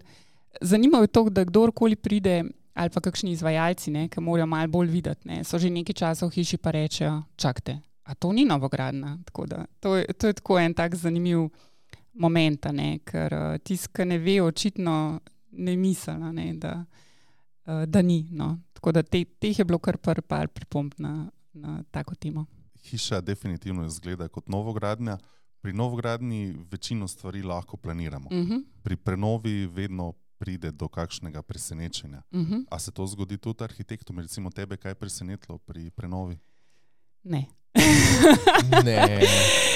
Zanimivo je to, da kdorkoli pride, ali pa kakšni izvajalci, ne, ki morajo malo bolj videti, ne, so že nekaj časa v hiši pa rečejo, čakajte, a to ni novogradna. Tako da, to, je, to je tako en tak zanimiv moment, ne, ker tisti, ki ne ve, očitno ne misli, ne, da, da ni. No. Tako da te, teh je bilo kar par, par pripomb na, na tako temo. Hiša definitivno izgleda kot novogradnja. Pri novogradnji večino stvari lahko planiramo. Uh-huh. Pri prenovi vedno pride do kakšnega presenečenja. Uh-huh. A se to zgodi tudi arhitektom? Recimo tebe, kaj je presenetilo pri prenovi? Ne. Ne,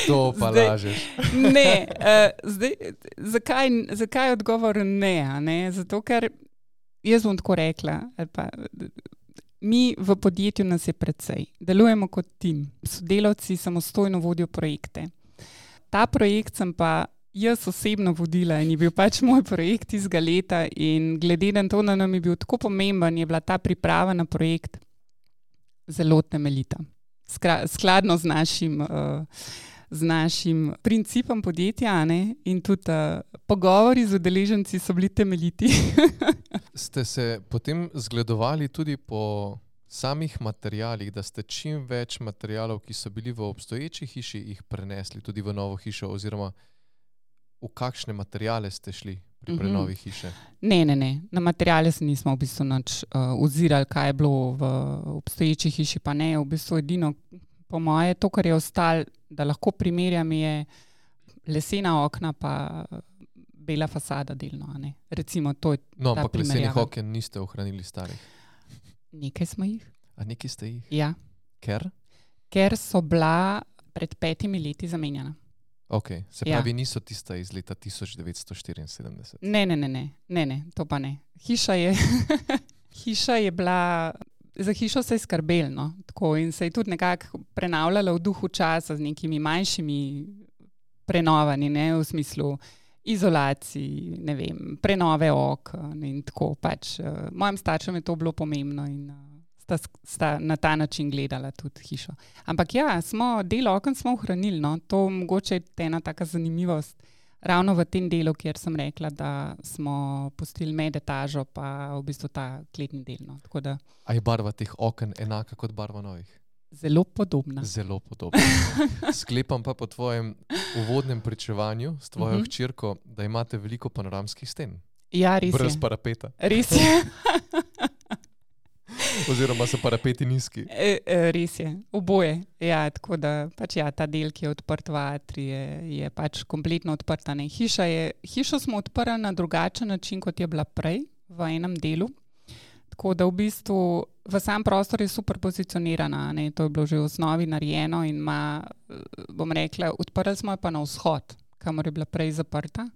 to pa zdaj, lažeš. Ne, uh, zdaj, zakaj, zakaj odgovor ne, ne? Zato, ker jaz bom tako rekla, pa, mi v podjetju nas je precej. Delujemo kot tim. Sodelavci samostojno vodijo projekte. Ta projekt sem pa jaz osebno vodila in je bil pač moj projekt izga leta in glede na to, da nam je bil tako pomemben, je bila ta priprava na projekt zelo temeljita. Skra, skladno z našim, uh, z našim principom podjetja, ne? In tudi uh, pogovori z udeleženci so bili temeljiti. Ste se potem zgledovali tudi po samih materialih, da ste čim več materialov, ki so bili v obstoječi hiši, jih prenesli tudi v novo hišo, oziroma v kakšne materiale ste šli pri prenovi hiše? Ne, ne, ne. Na materiale se nismo v bistvu nič uh, ozirali, kaj je bilo v obstoječi hiši, pa ne. V bistvu edino, po moje, to, kar je ostalo, da lahko primerjam, je lesena okna pa bela fasada delno. Ne? Recimo, to je No, ta ampak lesenih primerjava. oken niste ohranili starih. Nekaj smo jih. A nekaj ste jih? Ja. Ker? Ker so bila pred petimi leti zamenjana. Ok, se Ja. pravi, niso tista iz leta tisoč devetsto štiriinsedemdeset. Ne, ne, ne, ne, ne, ne, to pa ne. Hiša je, hiša je bila, za hišo se je skrbelo, no, tako, in se je tudi nekako prenavljala v duhu časa z nekimi manjšimi prenovanji, ne, v smislu izolacij, ne vem, prenove okn in tako pač. Uh, mojim staršem je to bilo pomembno in uh, sta, sta na ta način gledala tudi hišo. Ampak ja, smo, del okn smo ohranili, no, to mogoče je ena taka zanimivost. Ravno v tem delu, kjer sem rekla, da smo pustili med etažo, pa v bistvu ta kletni del. No. Tako da A je barva teh oken enaka kot barva novih? zelo podobna. Zelo podobno. Sklepam pa po tvojem uvodnem pričevanju s tvojo Mhm. hčerko, da imate veliko panoramskih sten. Ja, res Brez je. parapeta. Res je. Oziroma so parapeti nizki. E, e, res je. Oboje. Ja, tako da pač ja, ta del, ki je odprt v atri, je, je pač kompletno odprta. Ne. Hiša je, hišo smo odprli na drugačen način, kot je bila prej, v enem delu. Tako da v bistvu v sam prostor je super pozicionirana. Ne. To je bilo že v osnovi narejeno in ima, bom rekla, odprli smo jo pa na vzhod, kamor je bila prej zaprta.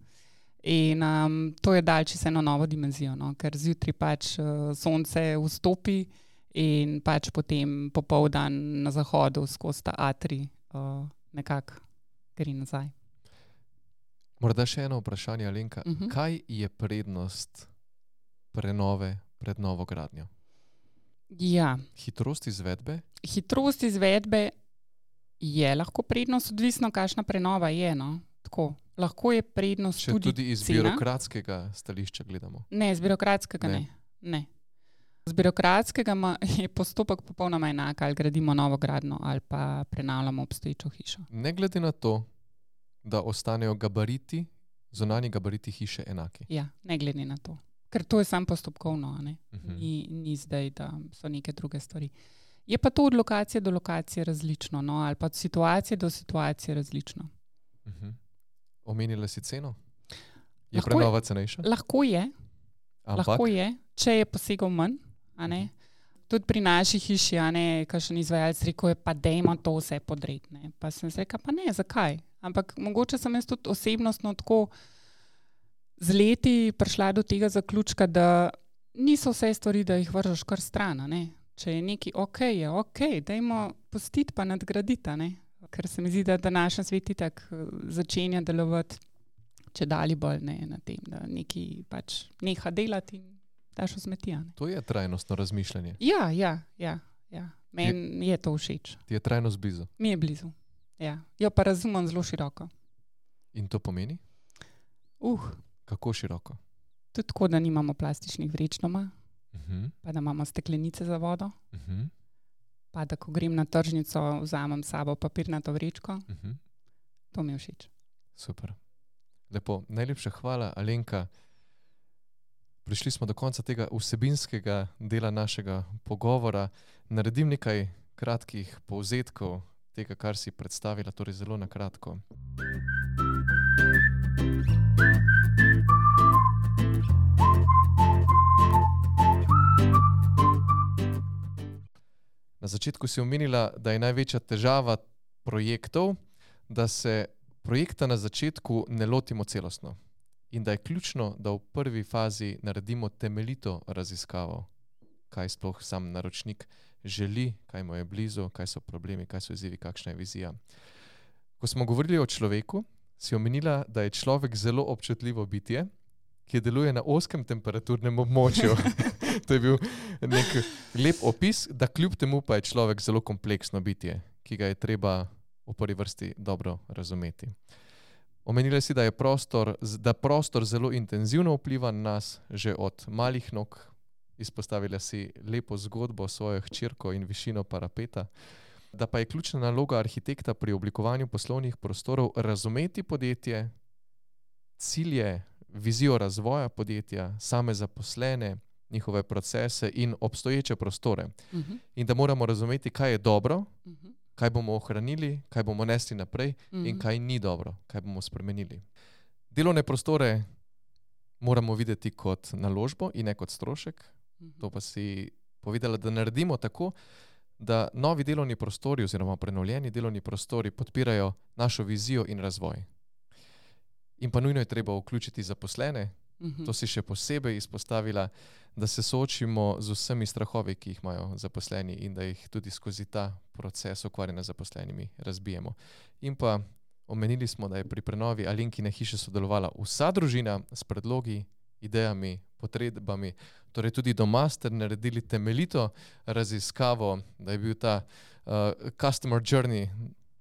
In um, to je dal čisto eno novo dimenzijo, no? Ker zjutraj pač uh, sonce vstopi in pač potem popoldan na zahodu skozi ta atri uh, nekako gre nazaj. Morda še eno vprašanje, Alenka. Uh -huh. Kaj je prednost prenove pred novo gradnjo? Ja, Hitrost izvedbe? hitrost izvedbe je lahko prednost, odvisno kakšna prenova je. No? Tako, lahko je prednost Če tudi, tudi iz cena. birokratskega stališča gledamo. Ne, z birokratskega ne. Ne. ne. Z birokratskega ma, je postopek popolnoma enak, ali gradimo novo gradnjo ali pa prenavljamo obstoječo hišo. Ne glede na to, da ostanejo gabariti, zunanji gabariti hiše enaki. Ja, ne glede na to. Ker to je samo postopkovno, a ne? Mhm. Ni, ni zdaj, da so neke druge stvari. Je pa to od lokacije do lokacije različno, no? Ali pa od situacije do situacije različno. Mhm. Omenila si ceno? Je Lahko prenova cenejša? Lahko je, Ampak lahko je, če je posegel manj, a ne? Tudi pri naši hiši, a ne, kakšen izvajalec rekel je, pa dejmo to vse podreti, ne? Pa sem se rekla, pa ne, zakaj? Ampak mogoče sem jaz tudi osebnostno tako z leti prišla do tega zaključka, da niso vse stvari, da jih vržeš kar stran, a ne? Če je nekaj ok, je ok, dajmo pustiti pa nadgraditi, a ne? Ker se mi zdi, da današnji svet itak začenja delovati če dali bolj ne, na tem, da nekaj pač neha delati in daš v smeti, a ne? to je trajnostno razmišljanje. Ja, ja, ja, ja. Meni je to všeč. Ti je trajnost blizu. Mi je blizu. Ja. Jo pa razumem zelo široko. In to pomeni? Uh, Kako široko? tudi tako, da nimamo plastičnih vreč doma, Uh-huh. pa da imamo steklenice za vodo, Uh-huh. pa da ko grem na tržnico, vzamem s sabo papirnato vrečko. Uh-huh. To mi je všeč. Super. Lepo. Najlepša hvala, Alenka. Prišli smo do konca tega vsebinskega dela našega pogovora. Naredim nekaj kratkih povzetkov tega, kar si predstavila, torej zelo na kratko. Na začetku si omenila, da je največja težava projektov, da se projekta na začetku ne lotimo celostno in da je ključno, da v prvi fazi naredimo temeljito raziskavo, kaj sploh sam naročnik želi, kaj mu je blizu, kaj so problemi, kaj so izzivi, kakšna je vizija. Ko smo govorili o človeku, si omenila, da je človek zelo občutljivo bitje, ki deluje na ozkem temperaturnem območju. To je bil nek lep opis, da kljub temu pa je človek zelo kompleksno bitje, ki ga je treba v prvi vrsti dobro razumeti. Omenili si, da je prostor, da prostor zelo intenzivno vpliva na nas že od malih nog. Izpostavila si lepo zgodbo s svojo hčerko in višino parapeta, da pa je ključna naloga arhitekta pri oblikovanju poslovnih prostorov razumeti podjetje, cilje, vizijo razvoja podjetja, same zaposlene, njihove procese in obstoječe prostore. Uh-huh. In da moramo razumeti, kaj je dobro, Uh-huh. kaj bomo ohranili, kaj bomo nesli naprej Uh-huh. in kaj ni dobro, kaj bomo spremenili. Delovne prostore moramo videti kot naložbo in ne kot strošek. Uh-huh. To pa si povedala, da naredimo tako, da novi delovni prostori oziroma prenovljeni delovni prostori podpirajo našo vizijo in razvoj. In pa nujno je treba vključiti zaposlene. Uh-huh. To si še posebej izpostavila, da se soočimo z vsemi strahovi, ki jih imajo zaposleni in da jih tudi skozi ta proces ukvarjanja z zaposlenimi razbijemo. In pa omenili smo, da je pri prenovi Alenkine hiše sodelovala vsa družina s predlogi, idejami, potrebami. Torej tudi doma ste naredili temeljito raziskavo, da je bil ta uh, customer journey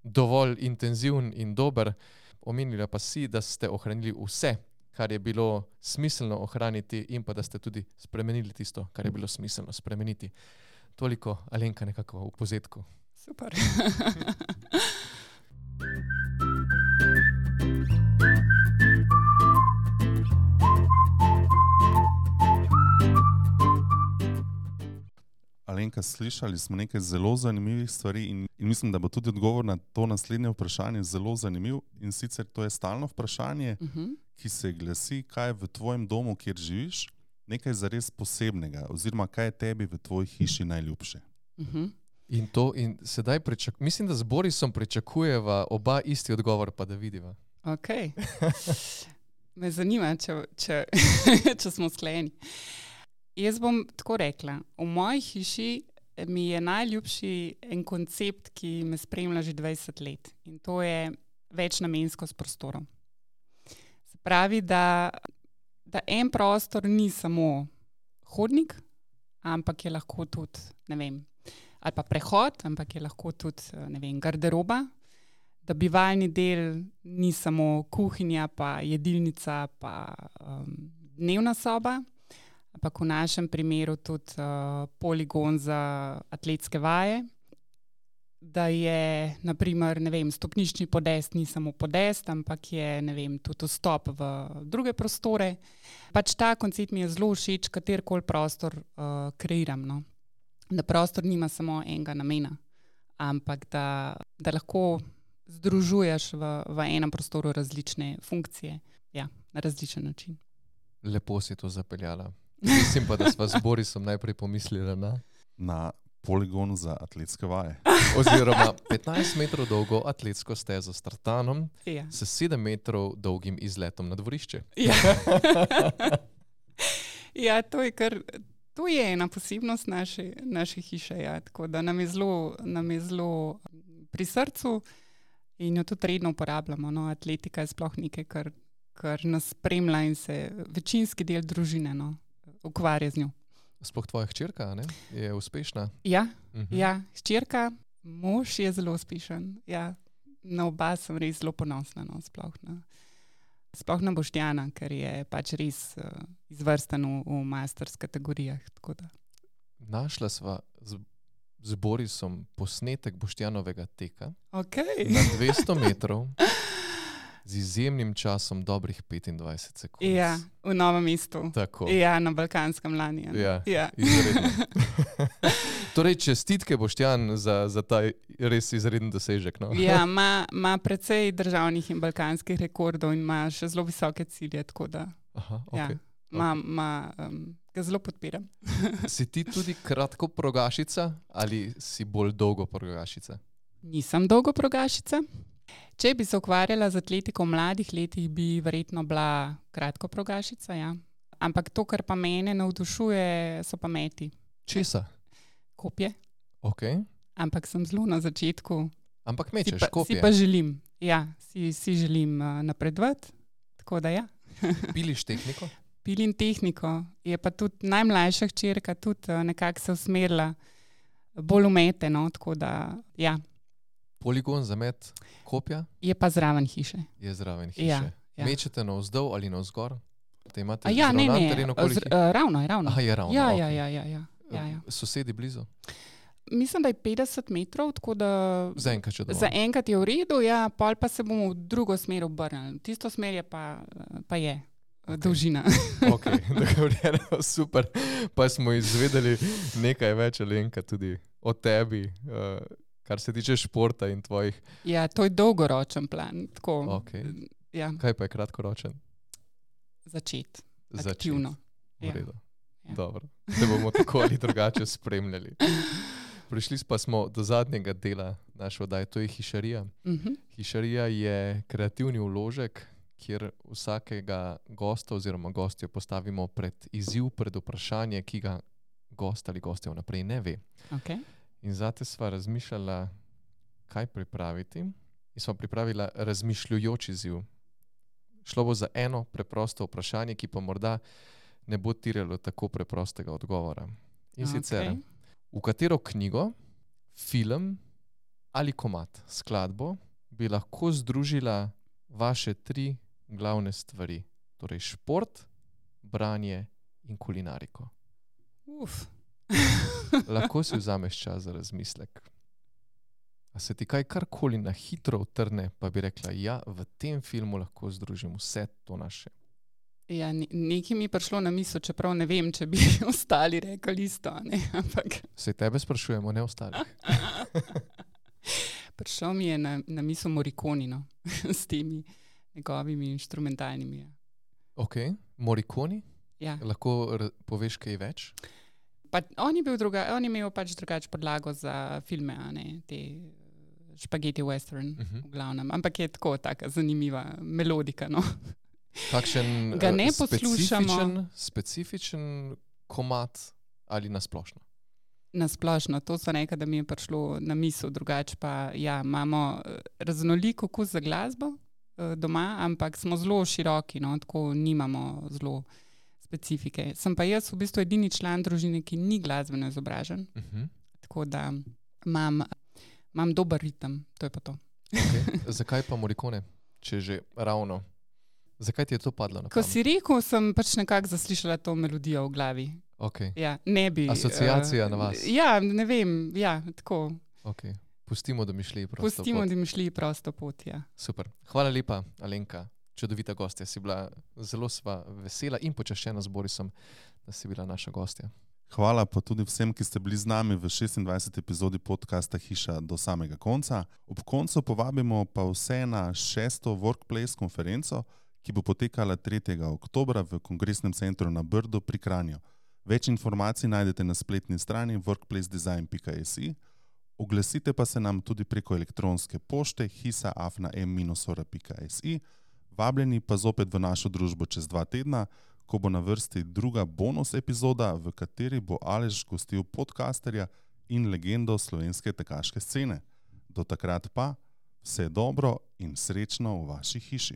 dovolj intenziven in dober. Omenila pa si, da ste ohranili vse, kar je bilo smiselno ohraniti in pa da ste tudi spremenili tisto, kar je bilo smiselno spremeniti. Toliko, Alenka, nekako v povzetku. Super. Alenka, slišali smo nekaj zelo zanimivih stvari in, in mislim, da bo tudi odgovor na to naslednje vprašanje zelo zanimiv. In sicer to je stalno vprašanje, Uh-huh. ki se glasi, kaj je v tvojem domu, kjer živiš, nekaj zares posebnega oziroma kaj je tebi v tvoji hiši najljubše. Uh-huh. In to, in sedaj pričak, mislim, da z Borisom pričakujeva oba isti odgovor, pa da vidiva. Ok. Me zanima, če, če, če smo sklenjeni. Jaz bom tako rekla. V moji hiši mi je najljubši en koncept, ki me spremlja že dvajset let. In to je večnamenskost prostorov. Se pravi, da, da en prostor ni samo hodnik, ampak je lahko tudi, ne vem, ali pa prehod, ampak je lahko tudi, ne vem, garderoba. Da bivalni del ni samo kuhinja, pa jedilnica, pa um, dnevna soba, ampak v našem primeru tudi uh, poligon za atletske vaje. Da je, na primer, ne vem, stopnični podest ni samo podest, ampak je, ne vem, tudi vstop v druge prostore. Pač ta koncept mi je zelo všeč, katerkoli prostor uh, kreiram. No? Da prostor nima samo enega namena, ampak da, da lahko združuješ v, v enem prostoru različne funkcije, ja, na različen način. Lepo si to zapeljala. Mislim pa, da sva z Borisom najprej pomislila na... Na poligon za atletske vaje. Oziroma petnajst metrov dolgo atletsko stezo s tartanom, Ja. s sedem metrov dolgim izletom na dvorišče. Ja. Ja, to je kar... To je ena posebnost naše, naše hiše, ja. Tako da nam je zelo, nam je zelo pri srcu in jo tudi redno uporabljamo. No. Atletika je sploh nekaj, kar, kar nas spremlja in se večinski del družine, no, ukvarja z njo. Sploh tvoja hčerka, ne? Je uspešna? Ja, Mhm. ja, hčerka, mož je zelo uspešen. Ja, na oba sem res zelo ponosna, no, sploh na, sploh na Boštjana, ker je pač res uh, izvrsten v, v masters kategorijah. Tako da. Našla sva z, z Borisom posnetek Boštjanovega teka Okay. na dvesto metrov z izjemnim časom dobrih petindvajset sekund. Ja, v Novem mestu. Tako. Ja, na Balkanskem lani. Ja. Ja. Ja. Izredno. Torej, čestitke Boštjan za, za ta res izreden dosežek. No? Ja, ima, ima precej državnih in balkanskih rekordov in ima še zelo visoke cilje, tako da Aha, ja, okay. ima, ima, um, ga zelo podpiram. Si ti tudi kratko progašica ali si bolj dolgo progašica? Nisem dolgo progašica. Če bi se ukvarjala z atletiko v mladih letih, bi verjetno bila kratko progašica, ja. Ampak to, kar pa mene navdušuje, so pa meti. Česa? Kopje. Okay. Ampak sem zelo na začetku. Ampak Si mečeš pa, kopje. si pa želim, ja, si, si želim uh, napredovati, tako da ja. Piliš tehniko? pili in tehniko. Je pa tudi najmlajša hčerka tudi uh, nekako se usmerila bolj umete, no, tako da, ja. Poligon za met kopja? Je pa zraven hiše. Je zraven hiše. Ja, ja. Mečete navzdol ali navzgor? Te imate A ja, ne, zravnan ne, teren okoli z, hi- uh, ravno je, ravno. Aha, je ravno. Ja, okej. ja, ja, ja, ja, ja, ja. Sosedi blizu? Mislim, da je petdeset metrov, tako da Zaenkrat še dovolj. za enkrat je v redu, ja, pol pa se bomo v drugo smer obrnili. Tisto smer je pa, pa je okay. dolžina. Ok, dogovorjeno, super. Pa smo izvedeli nekaj več, Alenka, tudi o tebi, uh, kar se tiče športa in tvojih. Ja, to je dolgoročen plan. Tako, Okay. ja, Kaj pa je kratkoročen? začeti Začet. aktivno. V Ja. redu. Ja. Dobro. Te bomo tako ali drugače spremljali. Prišli pa smo do zadnjega dela naše oddaje, to je hišarija. Mhm. Hišarija je kreativni vložek, kjer vsakega gosta oziroma gostjo postavimo pred izziv, pred vprašanje, ki ga gost ali gostja vnaprej ne ve. Okay. In zate sva razmišljala, kaj pripraviti. In sva pripravila razmišljujoč izziv. Šlo bo za eno preprosto vprašanje, ki pa morda ne bo tiralo tako preprostega odgovora. In sicer, Okay. v katero knjigo, film ali komad, skladbo bi lahko združila vaše tri glavne stvari, torej šport, branje in kulinariko. Uf. Lahko si vzameš čas za razmislek. A se ti kaj karkoli na hitro utrne, pa bi rekla, ja, v tem filmu lahko združim vse to naše. Ja, ne, nekaj mi je prišlo na misel, čeprav ne vem, če bi ostali rekli isto, ne, ampak Se tebe sprašujemo, ne ostalih. prišel mi je na, na misel Morricone, no, s temi njegovimi inštrumentalnimi. Ja. Ok, Morricone, Ja. lahko r- poveš kaj več? Pa on je bil druga, on je imel pač drugače podlago za filme, a ne, te eh, špageti western, Uh -huh. v glavnem, ampak je tako taka zanimiva melodika, no. Kakšen Ga ne eh, poslušamo. specifičen, specifičen komad ali nasplošno? Nasplošno, to so nekaj, da mi je prišlo na misel, drugače pa ja, imamo eh, raznolik okus za glasbo eh, doma, ampak smo zelo široki, no, tako nimamo zelo specifike. Sem pa jaz v bistvu edini član družine, ki ni glasbeno izobražen, Uh -huh. tako da imam, imam dober ritem, to je pa to. Okay. Zakaj pa Morricone, če že ravno? Zakaj ti je to padlo na Ko pamet? si rekel, sem pač nekako zaslišala to melodijo v glavi. Okay. Ja, ne bi. Asociacija eh, na vas. Ja, ne vem, ja, tako. Okay. Pustimo, da mi šli prosto. Pustimo, pot. da mi šli prosto pot, ja. Super. Hvala lepa, Alenka. Čudovita gostja si bila. Zelo sva vesela in počaščena z Borisom, da si bila naša gostja. Hvala pa tudi vsem, ki ste bili z nami v šestindvajseti epizodi podcasta Hiša do samega konca. Ob koncu povabimo pa vse na šesto Workplace konferenco, ki bo potekala tretjega oktobra v Kongresnem centru na Brdu pri Kranju. Več informacij najdete na spletni strani workplace design pika si. Oglasite pa se nam tudi preko elektronske pošte hisa afna m minus ora pika si. Vabljeni pa zopet v našo družbo čez dva tedna, ko bo na vrsti druga bonus epizoda, v kateri bo Aleš gostil podcasterja in legendo slovenske tekaške scene. Do takrat pa vse dobro in srečno v vaši hiši.